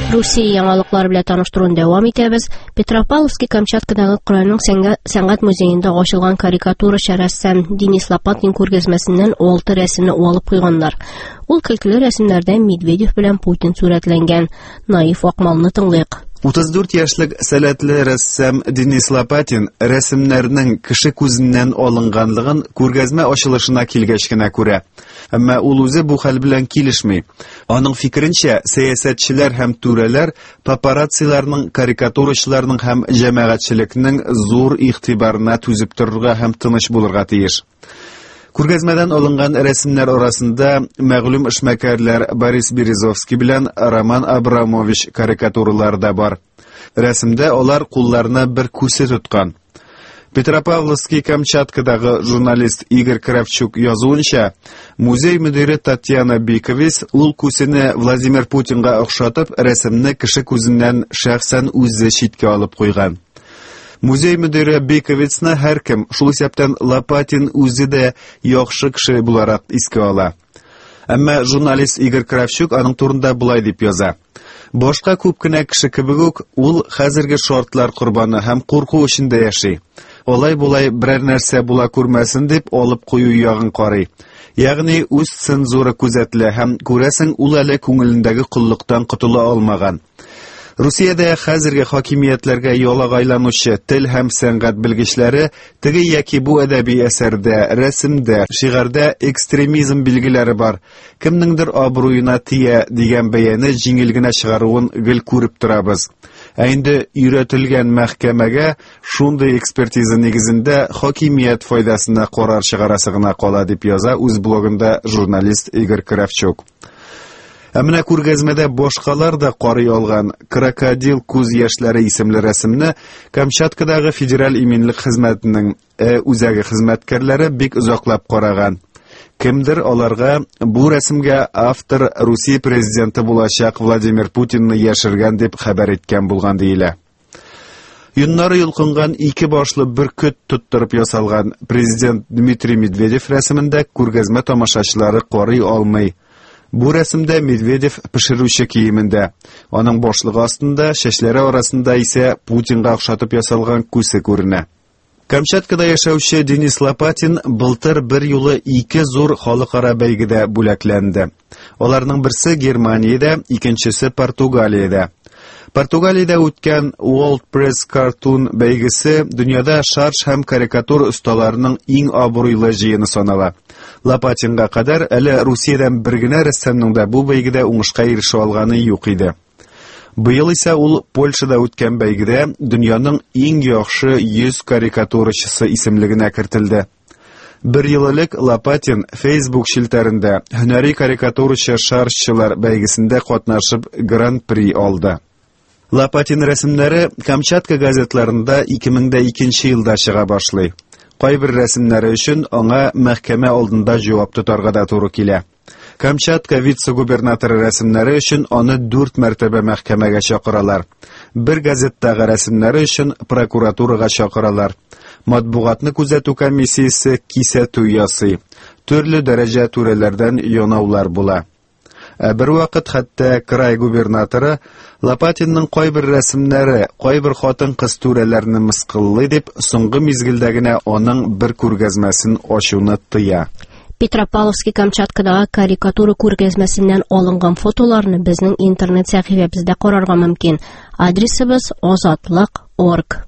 Русия яңалыклары белән таныштыруны дәвам итәбез. Петропавловский Камчаткадагы Крайның сәнгать музеенда ачылган карикатурачы рәссам Денис Лопатин күргәзмәсеннән 6 рәсемне алып куйганнар. Ул көлкеле рәсемнәрдә Медведев белән Путин сурәтләнгән. Наиф Акмалны тыңлыйк. 34 яшьлек сәләтле рәссам Денис Лопатин рәсемнәрнең кеше күзеннән алынганлыгын күргәзмә ачылышына килгәч кенә күрә. Әмма ул үзе бу хәл белән килешми. Аның фикеренчә, сәясәтчеләр һәм түрәләр папарацциларның, карикатурачыларның һәм җәмәгатьчелекнең зур игътибарына түзеп торырга һәм тыныч булырга тиеш. Күргәзмәдән алынган рәсемнәр арасында мәгълүм эшмәкәрләр Борис Березовский белән Роман Абрамович карикатуралары да бар. Рәсемдә алар кулларына бер күсе тоткан. Петропавловский Камчаткадагы журналист Игорь Кравчук язуынча, музей мөдире Татьяна Биковис ул күсене Владимир Путинга охшатып, рәсемне кеше күзеннән шәхсән үзе читкә алып куйган. Музей мөдире Биковицны һәркем, шул исәптән Лопатин үзе дә яхшы кеше буларак искә ала. Әмма журналист Игорь Кравчук аның турында болай дип яза. Башка күп кенә кеше кебек үк, ул хәзерге шартлар корбаны һәм курку эчендә яши. Алай-болай берәр нәрсә була күрмәсен дип алып кую ягын карый. Ягъни үз цензура күзәтелә һәм күрәсең, ул әле күңелендәге коллыктан котыла алмаган. Русиядә хәзерге хакимиятләргә ялагайланучы тел һәм сәнгать белгечләре теге яки бу әдәби әсәрдә, рәсемдә, шигарьдә экстремизм билгеләре бар, кемнеңдер абруена тия дигән бәяне җиңел генә чыгаруын гел күреп торабыз. Ә инде өйрәтелгән мәхкәмәгә шундый экспертиза нигезендә хакимият файдасына карар чыгарасы гына кала, дип яза үз блогында журналист Игорь Кравчук. Ә менә күргәзмәдә башкалар да карый алган Крокодил күз яшьләре исемле рәсемне Камчаткадагы Федераль иминлек хезмәтенең үзәге хезмәткәрләре бик озаклап караган. Кемдер аларга бу рәсемгә автор Русия президенты булачак Владимир Путинны яшергән дип хәбәр иткән булган диелә. Йоннары йолкынган ике башлы бөркет тоттырып ясалган президент Дмитрий Медведев рәсемендә күргәзмә тамашачылары карый алмый. Бу рәсемдә Медведев пешерүче киемендә. Аның башлыгы астында, чәчләре арасында исә Путинга охшатып ясалган күсе күренә. Камчаткада яшәүче Денис Лопатин былтыр бер юлы ике зур халыкара бәйгедә бүләкләнде. Аларның берсе Германиядә, икенчесе Португалиядә. Португалиядә үткән World Press Cartoon бәйгесе дөньяда шарж һәм карикатура осталарының иң абруйлы җыены санала. Лопатинга кадәр әле Русиядән бер генә рәссамның да бу бәйгедә уңышка ирешә алганы юк иде. Быел исә ул Польшада үткән бәйгедә дөньяның иң яхшы 100 карикатурачысы исемлегенә кертелде. Бер ел элек Лопатин Facebook челтәрендә һөнәри карикатурачы шаржчылар бәйгесендә катнашып Гран-при алды. Лопатин рәсемнәре Камчатка газетларында 2002 елда чыга башлый. Кайбер рәсемнәре өчен аңа мәхкәмә алдында җавап тотарга да туры килә. Камчатка вице-губернаторы рәсемнәре өчен аны 4 мәртәбә мәхкәмәгә чакыралар. Бер газеттагы рәсемнәре өчен прокуратурага чакыралар. Матбугатны күзәтү комиссиясе кисәтү ясый. Төрле дәрәҗә түрәләрдән янаулар була. Ә бер вакыт хәтта край губернаторы Лопатинның кайбер рәсемнәре кайбер хатын-кыз түрәләрне мыскыллый дип, соңгы мизгелдә генә аның бер күргәзмәсен ачуны тыя. Петропавловский Камчаткадагы карикатура күргәзмәсеннән алынган фотоларны безнең интернет сәхифәбездә карарга мөмкин. Адресыбыз азатлык.орг.